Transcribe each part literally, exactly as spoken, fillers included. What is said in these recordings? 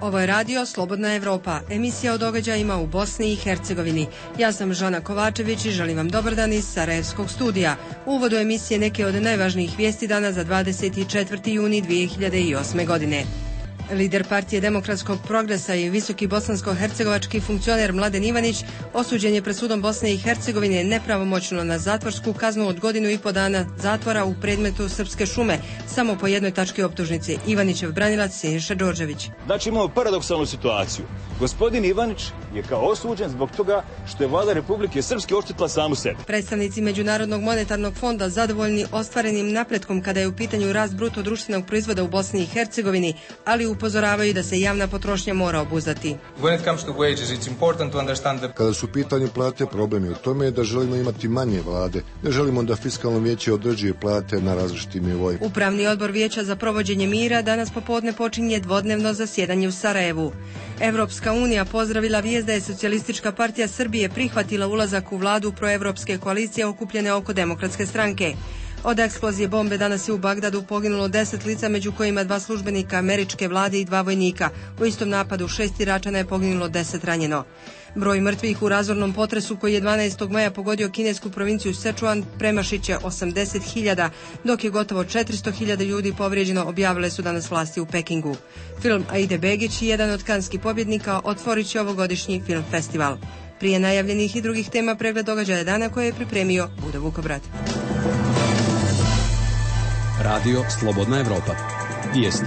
Ovo je radio Slobodna Evropa, emisija o događajima u Bosni i Hercegovini. Ja sam Žana Kovačević i želim vam dobar dan iz Sarajevskog studija. U uvodu emisije neke od najvažnijih vijesti dana za dvadeset četvrti juni dvije hiljade osme. godine. Lider partije Demokratskog progresa i visoki bosansko-hercegovački funkcioner Mladen Ivanić osuđen je pred sudom Bosne i Hercegovine nepravomoćno na zatvorsku kaznu od godinu i po dana zatvora u predmetu Srpske šume, samo po jednoj tački optužnice. Ivanićev branilac Siniša Đorđević. Znači imamo paradoksalnu situaciju. Gospodin Ivanić je kao osuđen zbog toga što je vlada Republike Srpske oštetila samu sebe. Predstavnici Međunarodnog monetarnog fonda zadovoljni ostvarenim napretkom kada je u pitanju rast bruto društvenog proizvoda u Bosni i Hercegovini, ali upozoravaju da se javna potrošnja mora obuzdati. Kada su u pitanju plate, problem je u tome da želimo imati manje vlade. Ne želimo da fiskalno vijeće određuje plate na različitim nivoima. Upravni odbor Vijeća za provođenje mira danas popodne počinje dvodnevno zasjedanje u Sarajevu. Evropska unija pozdravila vijest da je Socijalistička partija Srbije prihvatila ulazak u vladu proevropske koalicije okupljene oko Demokratske stranke. Od eksplozije bombe danas je u Bagdadu poginulo deset lica, među kojima dva službenika američke vlade i dva vojnika. U istom napadu šest Iračana je poginulo, deset ranjeno. Broj mrtvih u razornom potresu koji je dvanaestog maja pogodio kinesku provinciju Sečuan premašit će osamdeset hiljada, dok je gotovo četiristo hiljada ljudi povrijeđeno, objavile su danas vlasti u Pekingu. Film Aide Begić, jedan od kanskih pobjednika, otvorit će ovogodišnji film festival. Prije najavljenih i drugih tema pregled događaja dana koje je pripremio Buda Vukobrat. Radio Slobodna Evropa. Vijesti.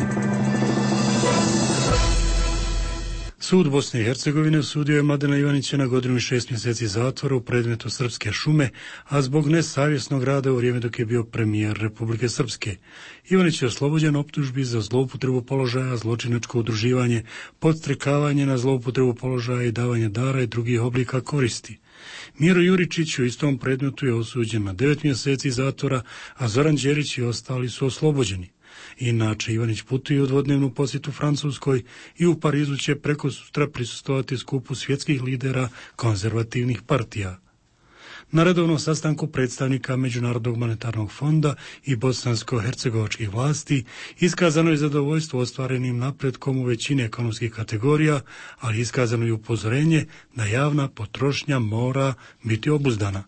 Sud Bosne i Hercegovine osudio je Mladena Ivanića na godinu i šest mjeseci zatvora u predmetu Srpske šume, a zbog nesavjesnog rada u vrijeme dok je bio premijer Republike Srpske. Ivanić je oslobođen optužbi za zloupotrebu položaja, zločinačko udruživanje, podstrekavanje na zloupotrebu položaja i davanje dara i drugih oblika koristi. Miro Juričić u istom predmetu je osuđen na devet mjeseci zatvora, a Zoran Đerić i ostali su oslobođeni. Inače, Ivanić putuje u dvodnevnu posjetu Francuskoj i u Parizu će preko sutra prisustvovati skupu svjetskih lidera konzervativnih partija. Na redovnom sastanku predstavnika Međunarodnog monetarnog fonda i bosansko-hercegovačkih vlasti iskazano je zadovoljstvo ostvarenim napretkom u većini ekonomskih kategorija, ali iskazano je upozorenje da javna potrošnja mora biti obuzdana.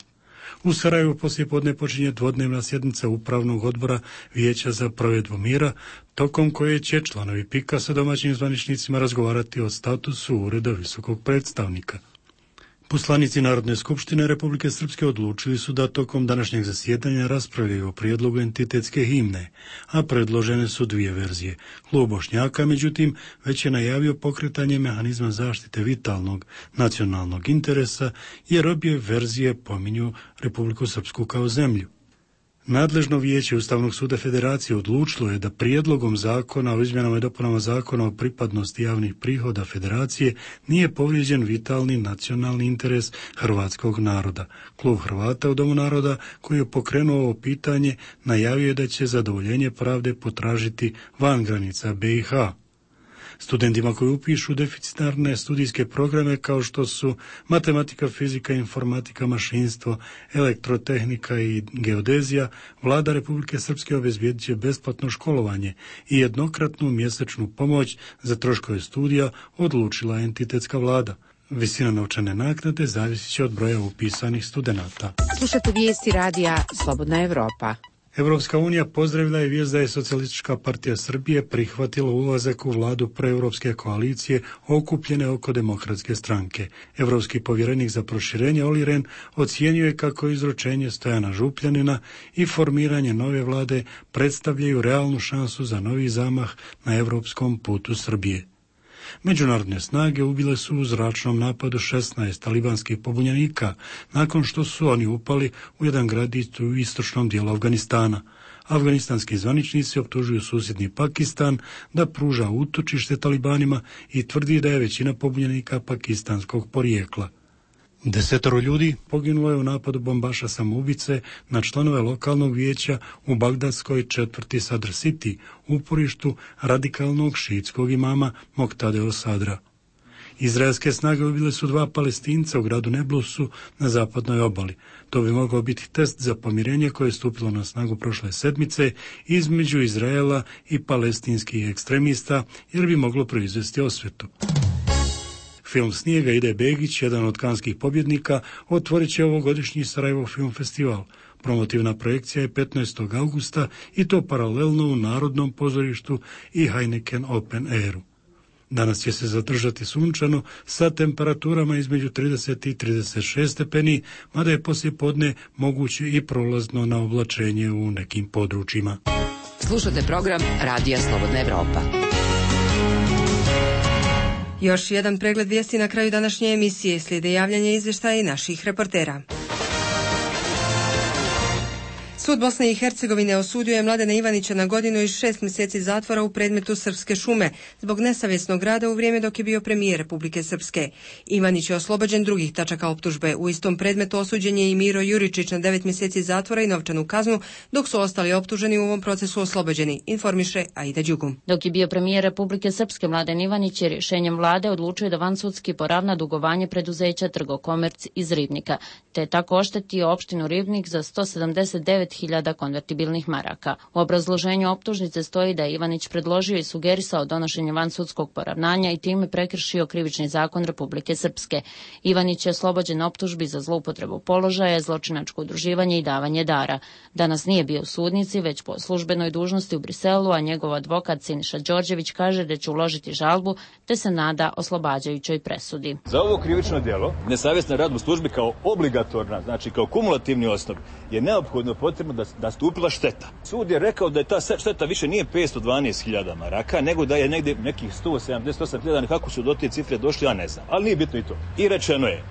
U Sarajevu poslijepodne počinje dvodnevna sjednica Upravnog odbora Vijeća za provedbu mira, tokom koje će članovi pika sa domaćim zvaničnicima razgovarati o statusu Ureda visokog predstavnika. Poslanici Narodne skupštine Republike Srpske odlučili su da tokom današnjeg zasjedanja raspravljaju o prijedlogu entitetske himne, a predložene su dvije verzije. Klub Bošnjaka, međutim, već je najavio pokretanje mehanizma zaštite vitalnog nacionalnog interesa, jer obje verzije pominju Republiku Srpsku kao zemlju. Nadležno vijeće Ustavnog suda Federacije odlučilo je da prijedlogom zakona o izmjenama i dopunama zakona o pripadnosti javnih prihoda Federacije nije povrijeđen vitalni nacionalni interes hrvatskog naroda. Klub Hrvata u Domu naroda, koji je pokrenuo ovo pitanje, najavio je da će zadovoljenje pravde potražiti van granica B i H. Studentima koji upišu deficitarne studijske programe kao što su matematika, fizika, informatika, mašinstvo, elektrotehnika i geodezija, vlada Republike Srpske obezbijedit će besplatno školovanje i jednokratnu mjesečnu pomoć za troškove studija, odlučila entitetska vlada. Visina novčane naknade zavisit će od broja upisanih studenata. Slušate vijesti radija Slobodna Evropa. Evropska unija pozdravila je vijest da je Socijalistička partija Srbije prihvatila ulazak u vladu proevropske koalicije okupljene oko Demokratske stranke. Evropski povjerenik za proširenje Olli Rehn ocijenio je kako izručenje Stojana Župljanina i formiranje nove vlade predstavljaju realnu šansu za novi zamah na evropskom putu Srbije. Međunarodne snage ubile su u zračnom napadu šesnaest talibanskih pobunjenika nakon što su oni upali u jedan gradić u istočnom dijelu Afganistana. Afganistanski zvaničnici optužuju susjedni Pakistan da pruža utočište talibanima i tvrdi da je većina pobunjenika pakistanskog porijekla. Desetoro ljudi poginulo je u napadu bombaša samoubice na članove lokalnog vijeća u bagdadskoj četvrti Sadr City, uporištu radikalnog šiitskog imama Moktadeo Sadra. Izraelske snage ubile su dva Palestinca u gradu Neblusu na zapadnoj obali. To bi mogao biti test za pomirenje koje je stupilo na snagu prošle sedmice između Izraela i palestinskih ekstremista, jer bi moglo proizvesti osvetu. Film Snijega Ide Begić, jedan od kanskih pobjednika, otvorit će ovogodišnji Sarajevo film festival. Promotivna projekcija je petnaestog augusta i to paralelno u Narodnom pozorištu i Heineken Open Airu. Danas će se zadržati sunčano sa temperaturama između trideset i trideset šest stepeni, mada je poslijepodne moguće i prolazno na oblačenje u nekim područjima. Slušate program Radija Slobodna Evropa. Još jedan pregled vijesti na kraju današnje emisije. Slijede javljanje izvještaja i naših reportera. Sud Bosne i Hercegovine osudio je Mladena Ivanića na godinu i šest mjeseci zatvora u predmetu Srpske šume zbog nesavjesnog rada u vrijeme dok je bio premijer Republike Srpske. Ivanić je oslobođen drugih tačaka optužbe. U istom predmetu osuđen je i Miro Juričić na devet mjeseci zatvora i novčanu kaznu, dok su ostali optuženi u ovom procesu oslobođeni, informiše Aida Đugum. Dok je bio premijer Republike Srpske, Mladen Ivanić je rješenjem vlade odlučio da vansudski poravna dugovanje preduzeća Trgokomerc iz Ribnika, te je tako oštetio opštinu Ribnik za sto sedamdeset devet hiljada konvertibilnih maraka. U obrazloženju optužnice stoji da je Ivanić predložio i sugerisao donošenje vansudskog poravnanja i time prekršio krivični zakon Republike Srpske. Ivanić je oslobođen optužbi za zloupotrebu položaja, zločinačko udruživanje i davanje dara. Danas nije bio u sudnici, već po službenoj dužnosti u Briselu, a njegov advokat Siniša Đorđević kaže da će uložiti žalbu, te se nada oslobađajućoj presudi. Za ovo krivično djelo, nesavjestan rad u službi kao obligatorna, znači kao kumulativni osnov, je neophodno potrebno da nastupila šteta. Sud je rekao da je ta šteta više nije petsto dvanaest hiljada maraka, nego da je negdje nekih sto sedamdeset osam hiljada, kako su do te cifre došli, ja ne znam. Ali nije bitno i to. I rečeno je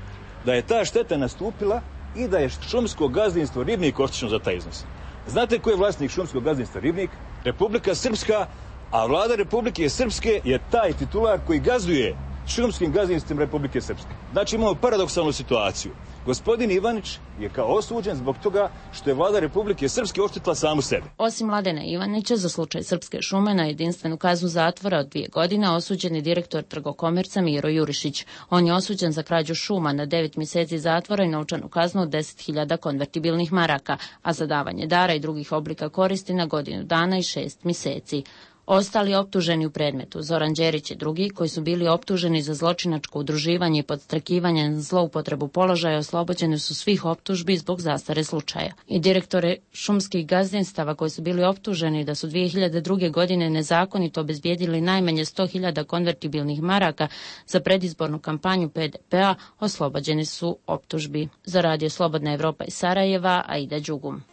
da je ta šteta nastupila i da je šumsko gazdinstvo Ribnik oštećeno za taj iznos. Znate ko je vlasnik šumskog gazdinstva Ribnik? Republika Srpska, a vlada Republike Srpske je taj titular koji gazduje šumskim gazdinstvom Republike Srpske. Znači imamo paradoksalnu situaciju. Gospodin Ivanić je kao osuđen zbog toga što je vlada Republike Srpske oštetila samu sebe. Osim Mladena Ivanića, za slučaj Srpske šume na jedinstvenu kaznu zatvora od dvije godine osuđen je direktor Trgokomerca Miro Jurišić. On je osuđen za krađu šuma na devet mjeseci zatvora i novčanu kaznu od deset hiljada konvertibilnih maraka, a za davanje dara i drugih oblika koristi na godinu dana i šest mjeseci. Ostali optuženi u predmetu, Zoran Đerić i drugi, koji su bili optuženi za zločinačko udruživanje i podstrakivanje na zloupotrebu položaja, oslobođeni su svih optužbi zbog zastare slučaja. I direktore šumskih gazdinstava koji su bili optuženi da su dvije hiljade druge. godine nezakonito obezbijedili najmanje sto hiljada konvertibilnih maraka za predizbornu kampanju P D P-a, oslobođeni su optužbi. Za Radio Slobodna Evropa iz Sarajeva, Aida Đugum.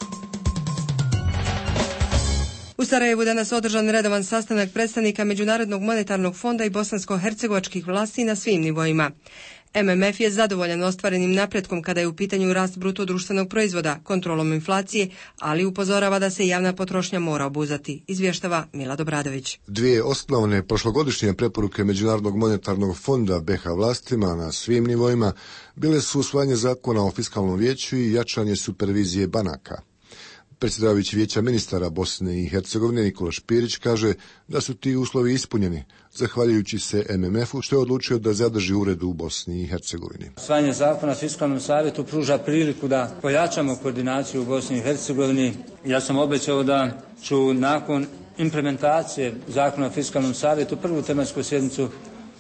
U Sarajevu danas održan redovan sastanak predstavnika Međunarodnog monetarnog fonda i bosansko-hercegovačkih vlasti na svim nivoima. M M F je zadovoljan ostvarenim napretkom kada je u pitanju rast bruto društvenog proizvoda, kontrolom inflacije, ali upozorava da se javna potrošnja mora obuzati, izvještava Milad Obradović. Dvije osnovne prošlogodišnje preporuke Međunarodnog monetarnog fonda B iH vlastima na svim nivoima bile su usvajanje zakona o fiskalnom vijeću i jačanje supervizije banaka. Predsjedavajući vijeća ministara Bosne i Hercegovine Nikola Špirić kaže da su ti uslovi ispunjeni, zahvaljujući se M M F-u što je odlučio da zadrži ured u Bosni i Hercegovini. Usvajanje zakona o fiskalnom savjetu pruža priliku da pojačamo koordinaciju u Bosni i Hercegovini. Ja sam obećao da ću nakon implementacije zakona o fiskalnom savjetu prvu tematsku sjednicu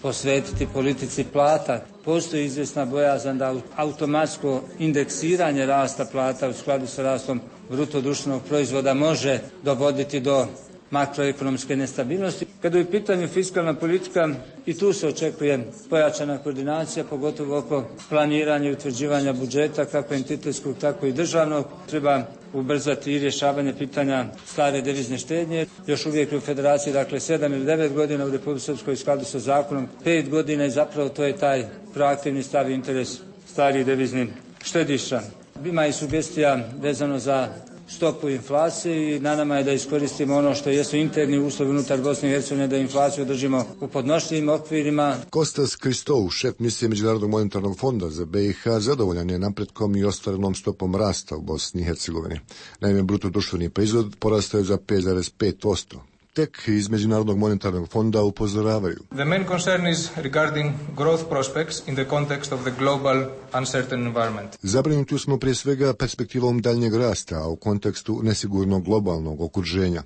posvetiti politici plata. Postoji izvjesna bojazan da automatsko indeksiranje rasta plata u skladu sa rastom bruto društvenog proizvoda može dovoditi do makroekonomske nestabilnosti. Kada je u pitanju fiskalna politika, i tu se očekuje pojačana koordinacija, pogotovo oko planiranja i utvrđivanja budžeta, kako entitetskog, tako i državnog. Treba ubrzati i rješavanje pitanja stare devizne štednje. Još uvijek u Federaciji, dakle, sedam ili devet godina, u Republici Srpskoj u skladu sa zakonom, pet godina i zapravo to je taj proaktivni stav i interes starih deviznih štediša. Ima i sugestija vezano za stopu inflacije i na nama je da iskoristimo ono što jesu interni uslovi unutar Bosne i Hercegovine, da inflaciju držimo u podnošljivim okvirima. Kostas Kristov, šef misije Međunarodnog monetarnog fonda za B iH, zadovoljan je napretkom i ostvarenom stopom rasta u Bosni i Hercegovini. Naime, bruto društveni proizvod porastao je za pet zarez pet posto. Tek iz Međunarodnog monetarnog fonda upozoravaju. The main concern is regarding growth prospects in the context of the global uncertain environment. Zabrinuti smo prije svega perspektivom daljnjeg rasta, a u kontekstu nesigurnog globalnog okruženja.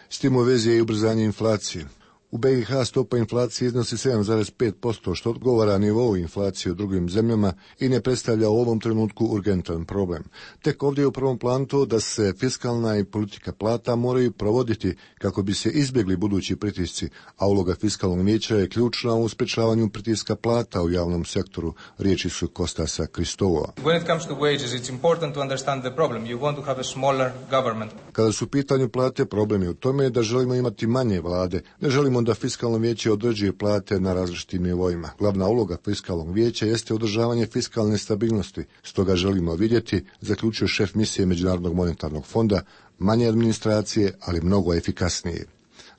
S tim u vezi je i ubrzanje inflacije. U B i H stopa inflacije iznosi sedam zarez pet posto, što odgovara nivou inflacije u drugim zemljama i ne predstavlja u ovom trenutku urgentan problem. Tek ovdje je u prvom planu to da se fiskalna i politika plata moraju provoditi kako bi se izbjegli budući pritisci, a uloga fiskalnog vijeća je ključna u sprečavanju pritiska plata u javnom sektoru, riječi su Kostasa Kristova. When it comes to wages, it's important to understand the problem. You want to have a smaller government. Kada su u pitanju plate, problem je u tome da želimo imati manje vlade, ne želimo da fiskalno vijeće određuje plate na različitim nivoima. Glavna uloga fiskalnog vijeća jeste održavanje fiskalne stabilnosti, stoga želimo vidjeti, zaključio šef misije Međunarodnog monetarnog fonda, manje administracije, ali mnogo efikasnije.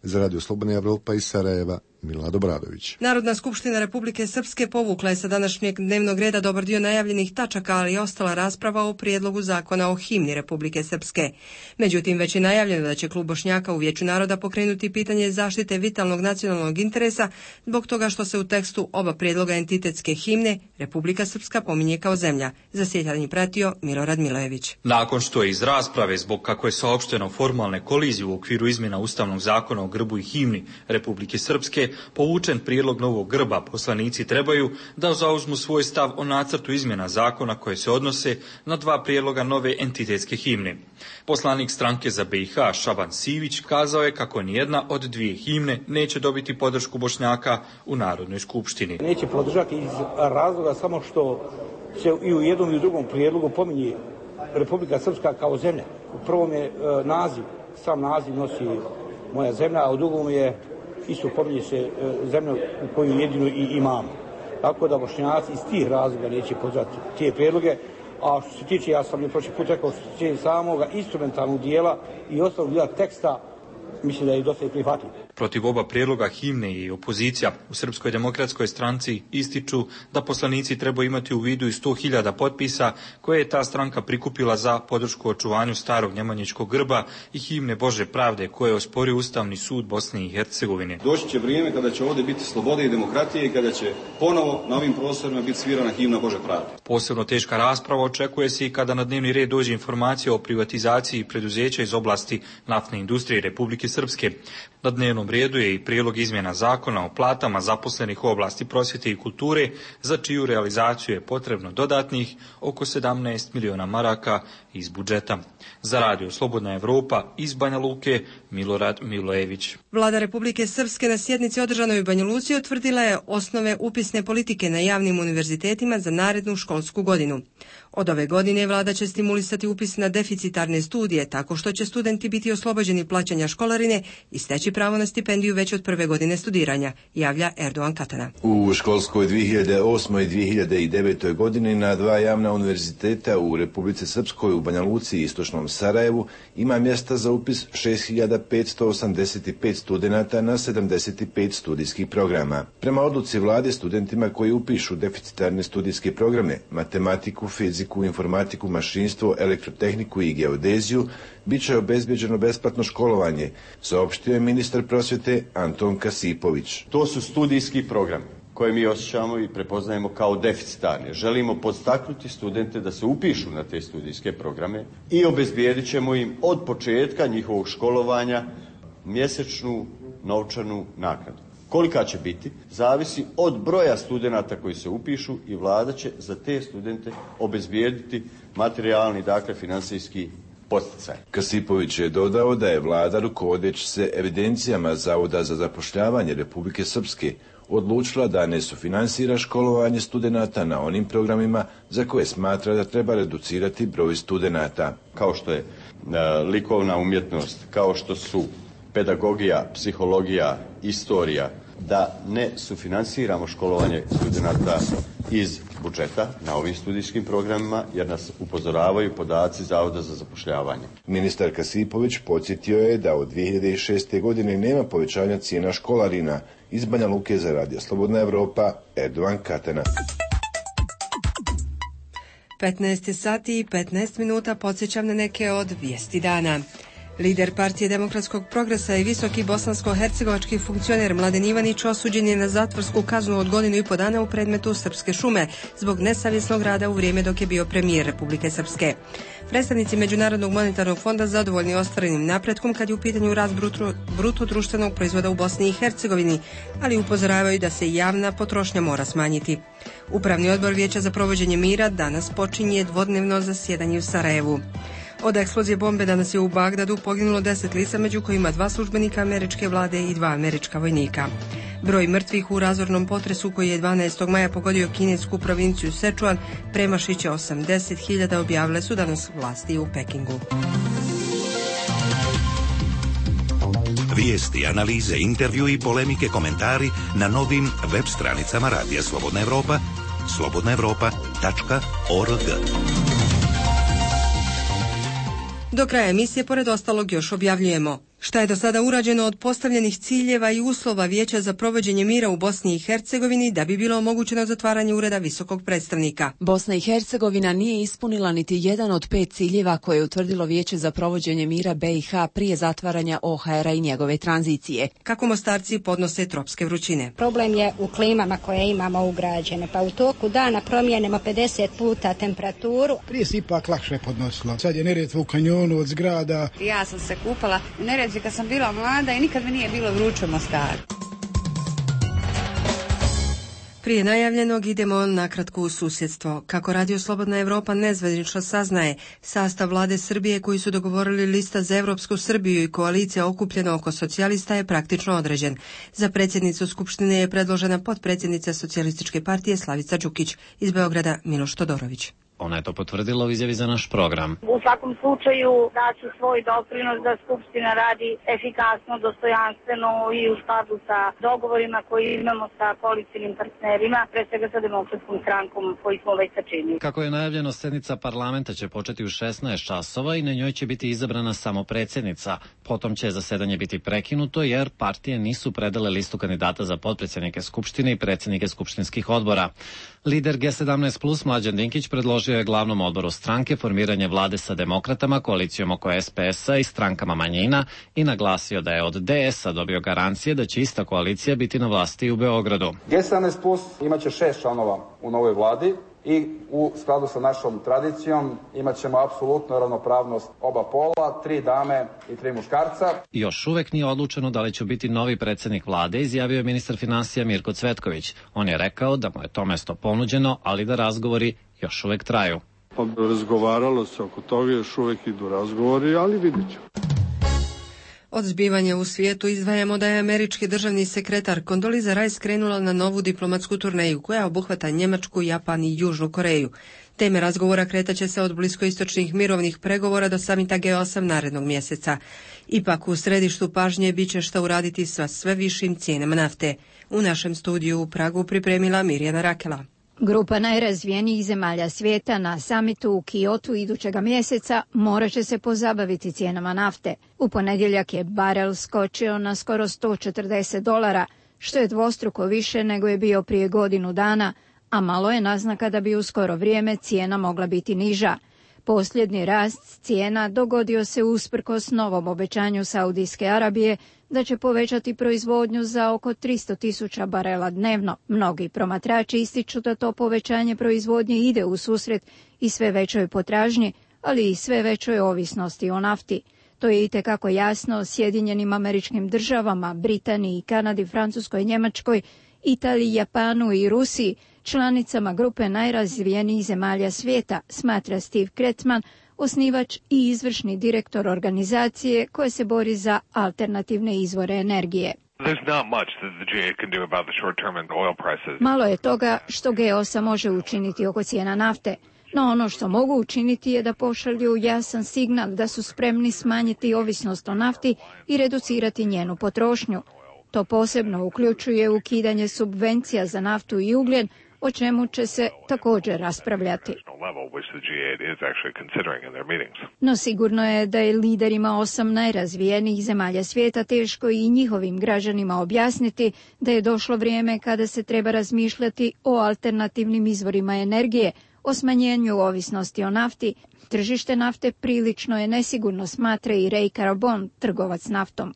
Za Radio Slobodna Evropa iz Sarajeva, Milad Obradović. Narodna skupština Republike Srpske povukla je sa današnjeg dnevnog reda dobar dio najavljenih tačaka, ali je ostala rasprava o prijedlogu zakona o himni Republike Srpske. Međutim, već je najavljeno da će klub Bošnjaka u Vijeću naroda pokrenuti pitanje zaštite vitalnog nacionalnog interesa zbog toga što se u tekstu oba prijedloga entitetske himne Republika Srpska pominje kao zemlja. Zasjetanje pratio Milorad Milojević. Nakon što je iz rasprave zbog kako je saopšteno formalne kolizije u okviru izmjena Ustavnog zakona o grbu i himni Republike Srpske, povučen prijedlog novog grba, poslanici trebaju da zauzmu svoj stav o nacrtu izmjena zakona koje se odnose na dva prijedloga nove entitetske himne. Poslanik stranke za B i H Šaban Sivić kazao je kako nijedna od dvije himne neće dobiti podršku Bošnjaka u Narodnoj skupštini. Neće podržati iz razloga samo što se i u jednom i u drugom prijedlogu pominje Republika Srpska kao zemlja. U prvom je e, naziv, sam naziv nosi moja zemlja, a u drugom je isto pominje se e, zemlja u koju jedinu i imamo. Tako da Bošnjaci iz tih razloga neće podržati te prijedloge. A što se tiče, ja sam je prošli put rekao, što se tiče samoga instrumentalnog dijela i osnovnog dijela teksta, mislim da je dosta i prihvatljiv. Protiv oba prijedloga himne i opozicija u Srpskoj demokratskoj stranci ističu da poslanici trebaju imati u vidu i sto hiljada potpisa koje je ta stranka prikupila za podršku očuvanju starog njemanjičkog grba i himne Bože pravde koje je osporio Ustavni sud Bosne i Hercegovine. Doći će vrijeme kada će ovdje biti slobode i demokratije i kada će ponovo na ovim prostorima biti svirana himna Bože pravde. Posebno teška rasprava očekuje se i kada na dnevni red dođe informacija o privatizaciji preduzeća iz oblasti naftne industrije Republike Srpske. Na dnevnom redu je i prijedlog izmjena zakona o platama zaposlenih u oblasti prosvjete i kulture, za čiju realizaciju je potrebno dodatnih oko sedamnaest miliona maraka iz budžeta. Za Radio Slobodna Evropa iz Banja Luke, Milorad Milojević. Vlada Republike Srpske na sjednici održanoj u Banja Luci utvrdila je osnove upisne politike na javnim univerzitetima za narednu školsku godinu. Od ove godine vlada će stimulisati upis na deficitarne studije tako što će studenti biti oslobođeni plaćanja školarine i steći pravo na stipendiju već od prve godine studiranja, javlja Erdogan Katana. U školskoj dvije hiljade osme i dvije hiljade devete. godini na dva javna univerziteta u Republici Srpskoj u Banja Luci i istočnom Sarajevu ima mjesta za upis šest hiljada petsto osamdeset pet studenata na sedamdeset pet studijskih programa. Prema odluci vlade, studentima koji upišu deficitarne studijske programe, matematiku, fiziku, informatiku, mašinstvo, elektrotehniku i geodeziju, bit će obezbeđeno besplatno školovanje, saopštio je ministar prosvjete Anton Kasipović. To su studijski programi koje mi osjećamo i prepoznajemo kao deficitarne. Želimo podstaknuti studente da se upišu na te studijske programe i obezbijedit ćemo im od početka njihovog školovanja mjesečnu novčanu naknadu. Kolika će biti, zavisi od broja studenata koji se upišu i vlada će za te studente obezbijediti materijalni, dakle finansijski posticaj. Kasipović je dodao da je vlada, rukovodeći se evidencijama Zavoda za zapošljavanje Republike Srpske, odlučila da ne sufinansira školovanje studenata na onim programima za koje smatra da treba reducirati broj studenata. Kao što je e, likovna umjetnost, kao što su pedagogija, psihologija, istorija, da ne sufinansiramo školovanje studenata iz budžeta na ovim studijskim programima, jer nas upozoravaju podaci Zavoda za zapošljavanje. Ministar Kasipović podsjetio je da od dvije hiljade šeste. godine nema povećanja cijena školarina. Iz Banja Luke za Radio Slobodna Evropa, Erdogan Katana. petnaest sati i petnaest minuta, podsjećam na neke od vijesti dana. Lider partije Demokratskog progresa i visoki bosansko-hercegovački funkcioner Mladen Ivanić osuđen je na zatvorsku kaznu od godinu i po dana u predmetu Srpske šume zbog nesavjesnog rada u vrijeme dok je bio premijer Republike Srpske. Predstavnici Međunarodnog monetarnog fonda zadovoljni ostvarenim napretkom kad je u pitanju rast bruto, bruto društvenog proizvoda u Bosni i Hercegovini, ali upozoravaju da se javna potrošnja mora smanjiti. Upravni odbor Vijeća za provođenje mira danas počinje dvodnevno zasjedanje u Sarajevu. Od eksplozije bombe danas je u Bagdadu poginulo deset lica, među kojima dva službenika američke vlade i dva američka vojnika. Broj mrtvih u razornom potresu koji je dvanaestog maja pogodio kinesku provinciju Sečuan premašit će osamdeset hiljada, objavile su danas vlasti u Pekingu. Vijesti, analize, intervju i polemike, komentari na novim web stranicama Radija Slobodna Evropa, slobodna evropa tačka org. Do kraja emisije, pored ostalog, još objavljujemo šta je do sada urađeno od postavljenih ciljeva i uslova Vijeća za provođenje mira u Bosni i Hercegovini da bi bilo omogućeno zatvaranje ureda visokog predstavnika. Bosna i Hercegovina nije ispunila niti jedan od pet ciljeva koje je utvrdilo Vijeće za provođenje mira B i H prije zatvaranja O H R-a i njegove tranzicije. Kako Mostarci podnose tropske vrućine. Problem je u klimama koje imamo ugrađene, pa u toku dana promijenimo pedeset puta temperaturu. Prije se ipak lakše podnosilo. Sad je Neretva u kanjonu od zgrada. Ja sam se kupala u Neretvi kad sam bila mlada i nikad mi nije bilo vruće u Mostaru. Prije najavljenog idemo nakratko u susjedstvo. Kako Radio Slobodna Evropa nezvanično saznaje, sastav vlade Srbije koji su dogovorili Lista za Evropsku Srbiju i koalicija okupljena oko socijalista je praktično određen. Za predsjednicu Skupštine je predložena potpredsjednica Socijalističke partije Slavica Đukić, iz Beograda Miloš Todorović. Ona je to potvrdila u izjavi za naš program. U svakom slučaju daću svoj doprinos da Skupština radi efikasno, dostojanstveno i u skladu sa dogovorima koji imamo sa koalicijnim partnerima, pre svega sa Demokratskom strankom koji smo već sačinili. Kako je najavljeno, sednica parlamenta će početi u šesnaest časova i na njoj će biti izabrana samo predsjednica. Potom će zasedanje biti prekinuto jer partije nisu predale listu kandidata za potpredsjednike Skupštine i predsjednike skupštinskih odbora. Lider G sedamnaest plus Mlađan Dinkić predložio je glavnom odboru stranke formiranje vlade sa demokratama, koalicijom oko S P S-a i strankama manjina i naglasio da je od D S-a dobio garancije da će ista koalicija biti na vlasti u Beogradu. G sedamnaest plus imaće šest članova u novoj vladi i u skladu sa našom tradicijom imat ćemo apsolutno ravnopravnost oba pola, tri dame i tri muškarca. Još uvek nije odlučeno da li će biti novi predsjednik vlade, izjavio je ministar finansija Mirko Cvetković. On je rekao da mu je to mesto ponuđeno, ali da razgovori još uvek traju. Pa razgovaralo se oko toga, još uvek idu razgovori, ali vidjet ćemo. Od zbivanja u svijetu izdvajamo da je američki državni sekretar Condoleezza Rice krenula na novu diplomatsku turneju koja obuhvata Njemačku, Japan i Južnu Koreju. Teme razgovora kretaće se od bliskoistočnih mirovnih pregovora do samita G osam narednog mjeseca. Ipak u središtu pažnje bit će šta uraditi sa sve višim cijenama nafte. U našem studiju u Pragu pripremila Mirjana Rakela. Grupa najrazvijenijih zemalja svijeta na samitu u Kyotu idućega mjeseca morat će se pozabaviti cijenama nafte. U ponedjeljak je barel skočio na skoro sto četrdeset dolara, što je dvostruko više nego je bio prije godinu dana, a malo je naznaka da bi u skoro vrijeme cijena mogla biti niža. Posljednji rast cijena dogodio se usprkos novom obećanju Saudijske Arabije da će povećati proizvodnju za oko tristo tisuća barela dnevno. Mnogi promatrači ističu da to povećanje proizvodnje ide u susret i sve većoj potražnji, ali i sve većoj ovisnosti o nafti. To je itekako jasno Sjedinjenim Američkim Državama, Britaniji, Kanadi, Francuskoj, Njemačkoj, Italiji, Japanu i Rusiji, članicama grupe najrazvijenijih zemalja svijeta, smatra Steve Kretman, osnivač i izvršni direktor organizacije koja se bori za alternativne izvore energije. Malo je toga što G osam može učiniti oko cijena nafte, no ono što mogu učiniti je da pošalju jasan signal da su spremni smanjiti ovisnost o nafti i reducirati njenu potrošnju. To posebno uključuje ukidanje subvencija za naftu i ugljen, o čemu će se također raspravljati. No sigurno je da je liderima osam najrazvijenijih zemalja svijeta teško i njihovim građanima objasniti da je došlo vrijeme kada se treba razmišljati o alternativnim izvorima energije, o smanjenju ovisnosti o nafti, tržište nafte prilično je nesigurno, smatra i Ray Carabon, trgovac naftom.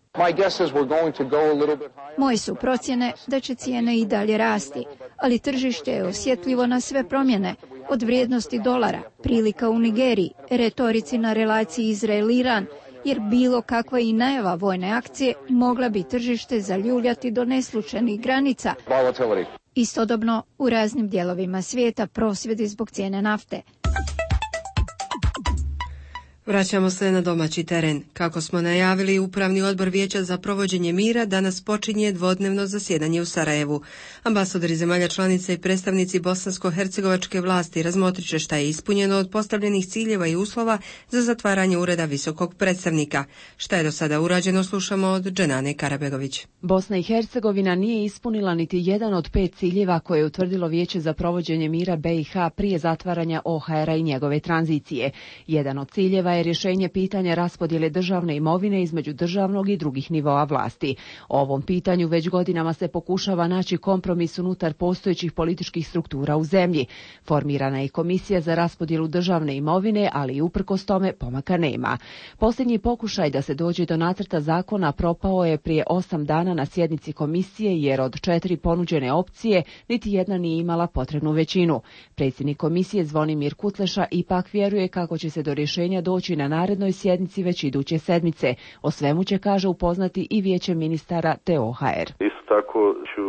Moje su procjene da će cijene i dalje rasti, ali tržište je osjetljivo na sve promjene, od vrijednosti dolara, prilika u Nigeriji, retorici na relaciji Izrael-Iran, jer bilo kakva i najava vojne akcije mogla bi tržište zaljuljati do neslučajnih granica. Istodobno, u raznim dijelovima svijeta prosvjedi zbog cijene nafte. Vraćamo se na domaći teren. Kako smo najavili, Upravni odbor Vijeća za provođenje mira danas počinje dvodnevno zasjedanje u Sarajevu. Ambasadori zemalja članica i predstavnici bosansko-hercegovačke vlasti razmotrit će šta je ispunjeno od postavljenih ciljeva i uslova za zatvaranje ureda visokog predstavnika. Šta je do sada urađeno, slušamo od Dženane Karabegović. Bosna i Hercegovina nije ispunila niti jedan od pet ciljeva koje je utvrdilo Vijeće za provođenje mira B i H prije zatvaranja O H R-a i njegove tranzicije. Jedan od ciljeva je rješenje pitanja raspodjele državne imovine između državnog i drugih nivoa vlasti. O ovom pitanju već godinama se pokušava naći kompromis unutar postojećih političkih struktura u zemlji. Formirana je komisija za raspodjelu državne imovine, ali i uprkos tome pomaka nema. Posljednji pokušaj da se dođe do nacrta zakona propao je prije osam dana na sjednici komisije, jer od četiri ponuđene opcije niti jedna nije imala potrebnu većinu. Predsjednik komisije Zvonimir Kutleša ipak vjeruje kako će se do rješenja doći na narednoj sjednici već iduće sedmice. O svemu će, kaže, upoznati i vijeće ministara te O H R. Isto tako ću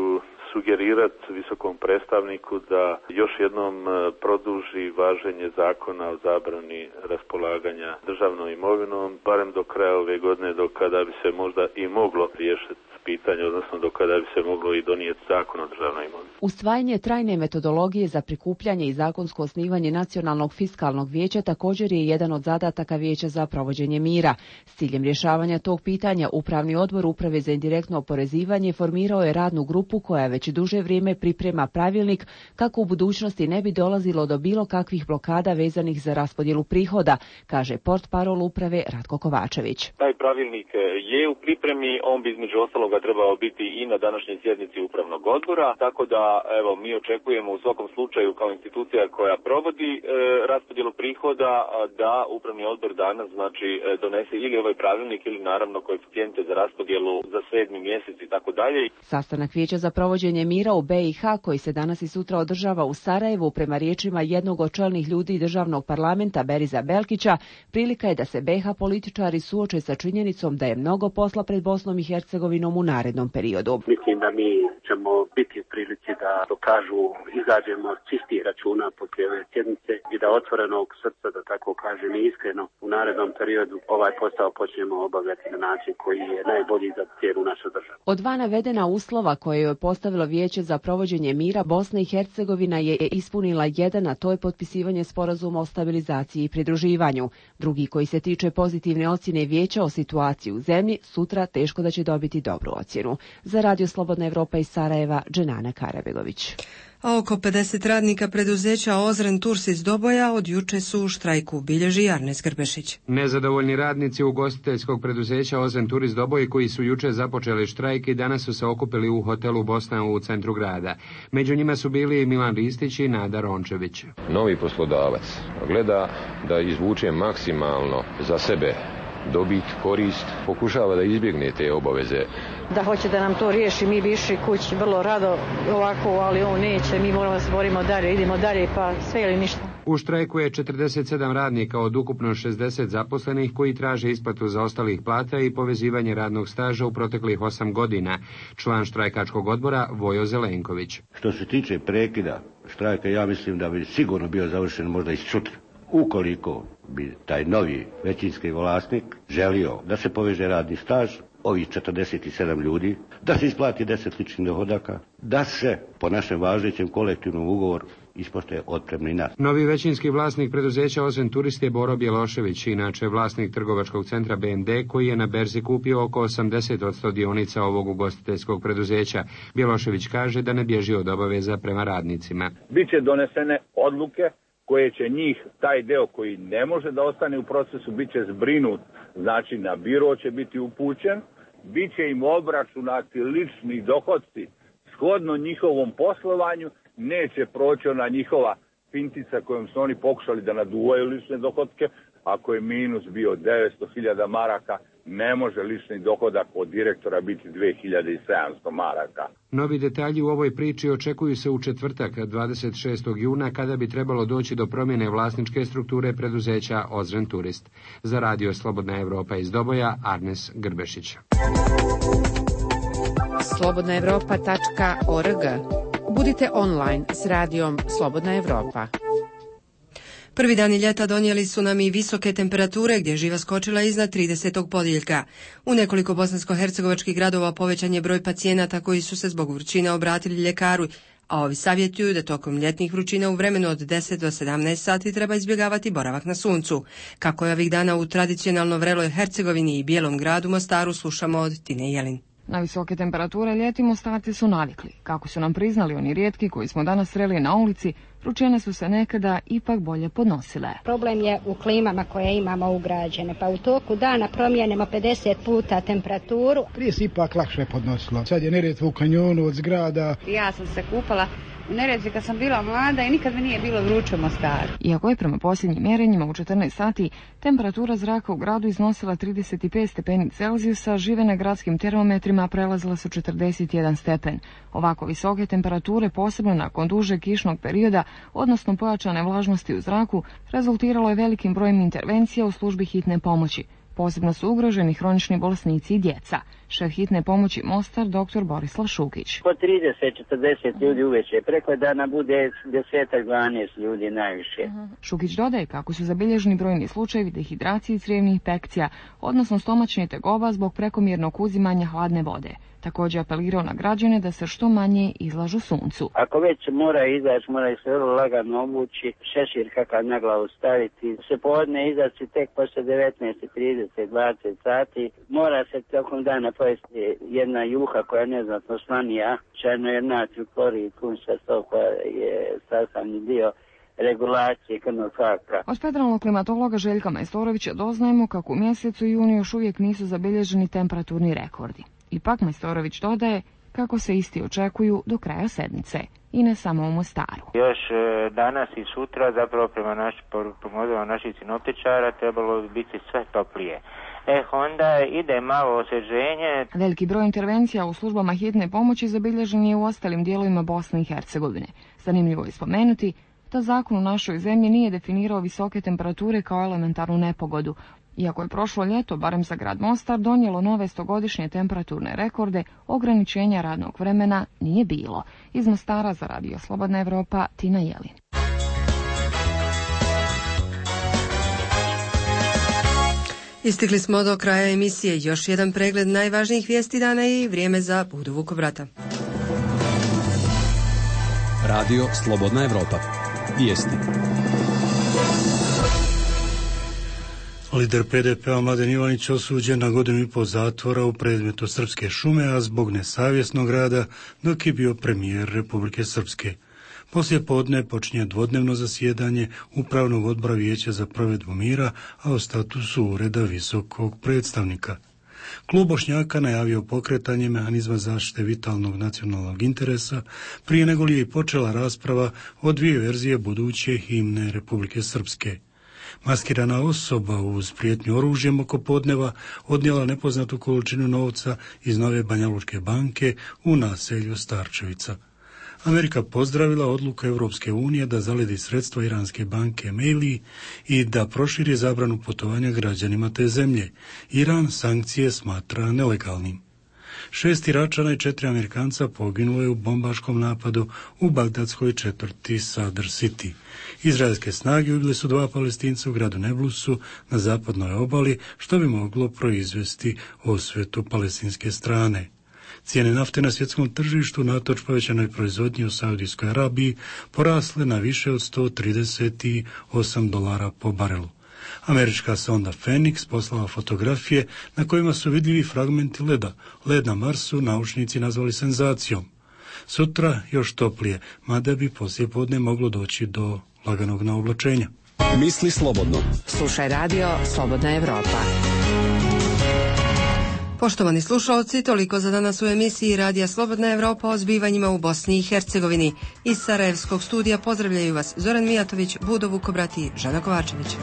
sugerirati visokom predstavniku da još jednom produži važenje zakona o zabrani raspolaganja državnom imovinom, barem do kraja ove godine, do kada bi se možda i moglo riješiti pitanje, odnosno do kada bi se moglo i donijeti zakon o državnoj imovini. Usvajanje trajne metodologije za prikupljanje i zakonsko osnivanje Nacionalnog fiskalnog vijeća također je jedan od zadataka Vijeća za provođenje mira. S ciljem rješavanja tog pitanja, Upravni odbor Uprave za indirektno oporezivanje formirao je radnu grupu koja već duže vrijeme priprema pravilnik kako u budućnosti ne bi dolazilo do bilo kakvih blokada vezanih za raspodjelu prihoda, kaže portparol uprave Ratko Kovačević. Taj pravilnik je u pripremi, on bi između ostaloga trebao biti i na današnjoj sjednici Upravnog odbora, tako da evo mi očekujemo u svakom slučaju kao institucija koja provodi e, raspodjelu prihoda da Upravni odbor danas znači donese ili ovaj pravilnik ili naravno koeficijente za raspodjelu za sedmi mjesec i tako dalje. Sastanak Vijeća za provođenje mira u B i H koji se danas i sutra održava u Sarajevu, prema riječima jednog od čelnih ljudi državnog parlamenta Beriza Belkića, prilika je da se B i H političari suoče sa činjenicom da je mnogo posla pred Bosnom i Hercegovinom u narednom periodu. Mislim da mi ćemo biti u prilici da dokažu, izađemo čistih računa poslije ove sjednice i da otvorenog srca, da tako kažem i iskreno, u narednom periodu ovaj posao počnemo obavljati na način koji je najbolji za cijelu našu državu. Od dva navedena uslova koje je postavilo Vijeće za provođenje mira, Bosna i Hercegovina je ispunila jedan, a to je potpisivanje sporazuma o stabilizaciji i pridruživanju. Drugi, koji se tiče pozitivne ocjene Vijeća o situaciji u zemlji, sutra teško da će dobiti dobru ocjenu. Za Radio Slobodna Evropa iz Sarajeva, Dženana Karabegović. A oko pedeset radnika preduzeća Ozren Tours iz Doboja od juče su u štrajku, bilježi Arnes Grbešić. Nezadovoljni radnici ugostiteljskog preduzeća Ozren Tours iz Doboj, koji su juče započeli štrajk i danas su se okupili u hotelu Bosna u centru grada. Među njima su bili Milan Ristić i Nada Rončević. Novi poslodavac gleda da izvuče maksimalno za sebe dobit, korist, pokušava da izbjegne te obaveze. Da hoće da nam to riješi, mi bi išli kući vrlo rado ovako, ali on neće, mi moramo se borimo dalje, idemo dalje, pa sve ili ništa. U štrajku je četrdeset sedam radnika od ukupno šezdeset zaposlenih koji traže isplatu zaostalih plata i povezivanje radnog staža u proteklih osam godina. Član štrajkačkog odbora Vojo Zelenković. Što se tiče prekida štrajka, ja mislim da bi sigurno bio završen možda i sutra. Ukoliko bi taj novi većinski vlasnik želio da se poveže radni staž, ovih četrdeset sedam ljudi, da se isplati deset ličnih dohodaka, da se po našem važećem kolektivnom ugovoru ispoštuje otpremnina. Novi većinski vlasnik preduzeća Ozren Tours je Boro Bjelošević, inače vlasnik trgovačkog centra B M D, koji je na berzi kupio oko osamdeset posto dionica ovog ugostiteljskog preduzeća. Bjelošević kaže da ne bježi od obaveza prema radnicima. Biće donesene odluke koje će njih, taj deo koji ne može da ostane u procesu, bit će zbrinut, znači na biro će biti upućen, bit će im obračunati lični dohodci shodno njihovom poslovanju, neće proći ona njihova fintica kojom su oni pokušali da naduvaju lične dohodke. Ako je minus bio devetsto hiljada maraka, ne može lični dohodak od direktora biti dve hiljade sedamsto maraka. Novi detalji u ovoj priči očekuju se u četvrtak, dvadeset šestog juna, kada bi trebalo doći do promjene vlasničke strukture preduzeća Ozren Turist. Za radio Slobodna Evropa iz Doboja, Arnes Grbešić. slobodna evropa tačka org. Budite online s radijom Slobodna Evropa. Prvi dani ljeta donijeli su nam i visoke temperature gdje je živa skočila iznad tridesetog podjeljka. U nekoliko bosansko-hercegovačkih gradova povećan je broj pacijenata koji su se zbog vrućine obratili ljekaru, a ovi savjetuju da tokom ljetnih vrućina u vremenu od deset do sedamnaest sati treba izbjegavati boravak na suncu. Kako je ovih dana u tradicionalno vreloj Hercegovini i Bijelom gradu Mostaru, slušamo od Tine Jelin. Na visoke temperature ljeti Mostarci su navikli. Kako su nam priznali oni rijetki koji smo danas sreli na ulici, vrućine su se nekada ipak bolje podnosile. Problem je u klimama koje imamo ugrađene, pa u toku dana promijenimo pedeset puta temperaturu. Prije se ipak lakše podnosilo. Sad je Neretva u kanjonu od zgrada. Ja sam se kupala u Neretvi kad sam bila mlada i nikad mi nije bilo vruće u Mostaru. Iako je prema posljednjim mjerenjima u četrnaest sati temperatura zraka u gradu iznosila trideset pet stepeni Celzijusa, žive na gradskim termometrima prelazila su četrdeset jedan stepen. Ovako visoke temperature, posebno nakon dužeg kišnog perioda, odnosno pojačane vlažnosti u zraku, rezultiralo je velikim brojem intervencija u službi hitne pomoći. Posebno su ugroženi hronični bolesnici i djeca. Šef hitne pomoći Mostar, doktor Borislav Šukić. Po trideset četrdeset ljudi uveče, preko dana bude deset dvanaest ljudi najviše. Šukić dodaje kako su zabilježeni brojni slučajevi dehidracije i crijevnih infekcija, odnosno stomačnih tegoba zbog prekomjernog uzimanja hladne vode. Također apelirao na građane da se što manje izlažu suncu. Ako već mora izaći, mora se vrlo lagano obući, šešir kakav na glavu staviti. Se podne izaći tek posle devetnaest trideset dvadeset sati. Mora se tokom dana pojesti jedna juha koja je neznatno slanija, čajno je natriju klorid, kunša sto koja je sastavni dio regulacije krvnog tlaka. Od federalnog klimatologa Željka Majstorovića doznajemo kako u mjesecu junu još uvijek nisu zabilježeni temperaturni rekordi. Ipak Majstorović dodaje kako se isti očekuju do kraja sedmice i ne samo u Mostaru. Još e, danas i sutra, zapravo prema naš, prema naših sinoptičara, trebalo bi biti sve toplije. E, onda ide malo osvježenje. Veliki broj intervencija u službama hitne pomoći zabilježen je u ostalim dijelovima Bosne i Hercegovine. Zanimljivo je spomenuti da zakon u našoj zemlji nije definirao visoke temperature kao elementarnu nepogodu. Iako je prošlo ljeto, barem za grad Mostar, donijelo nove stogodišnje temperaturne rekorde, ograničenja radnog vremena nije bilo. Iz Mostara za radio Slobodna Evropa, Tina Jelin. Istigli smo do kraja emisije. Još jedan pregled najvažnijih vijesti dana i vrijeme za Budu Vukovrata. Radio Slobodna Evropa. Vijesti. Lider P D P-a Mladen Ivanić osuđen na godinu i pol zatvora u predmetu Srpske šume, a zbog nesavjesnog rada dok je bio premijer Republike Srpske. Poslije podne počinje dvodnevno zasjedanje Upravnog odbora Vijeća za provedbu mira, a o statusu ureda visokog predstavnika. Klub Bošnjaka najavio pokretanje mehanizma zaštite vitalnog nacionalnog interesa prije nego li je i počela rasprava o dvije verzije buduće himne Republike Srpske. Maskirana osoba uz prijetnju oružjem oko podneva odnijela nepoznatu količinu novca iz Nove Banjalučke banke u naselju Starčevica. Amerika pozdravila odluku Europske unije da zaledi sredstva iranske banke Meili i da proširi zabranu putovanja građanima te zemlje. Iran sankcije smatra nelegalnim. Šest Iračana i četiri Amerikanca poginulo je u bombaškom napadu u bagdadskoj četvrti Sadr City. Izraelske snage ubile su dva Palestinca u gradu Neblusu na zapadnoj obali, što bi moglo proizvesti osvetu palestinske strane. Cijene nafte na svjetskom tržištu natoč povećanoj proizvodnji u Saudijskoj Arabiji porasle na više od sto trideset osam dolara po barelu. Američka sonda Phoenix poslala fotografije na kojima su vidljivi fragmenti leda. Led na Marsu naučnici nazvali senzacijom. Sutra još toplije, mada bi poslije podne moglo doći do laganog naoblačenja. Misli slobodno. Slušaj radio Slobodna Evropa. Poštovani slušalci, toliko za danas u emisiji Radija Slobodna Evropa o zbivanjima u Bosni i Hercegovini. Iz Sarajevskog studija pozdravljaju vas Zoran Mijatović, Budo Vukobrati i Žana Kovačević.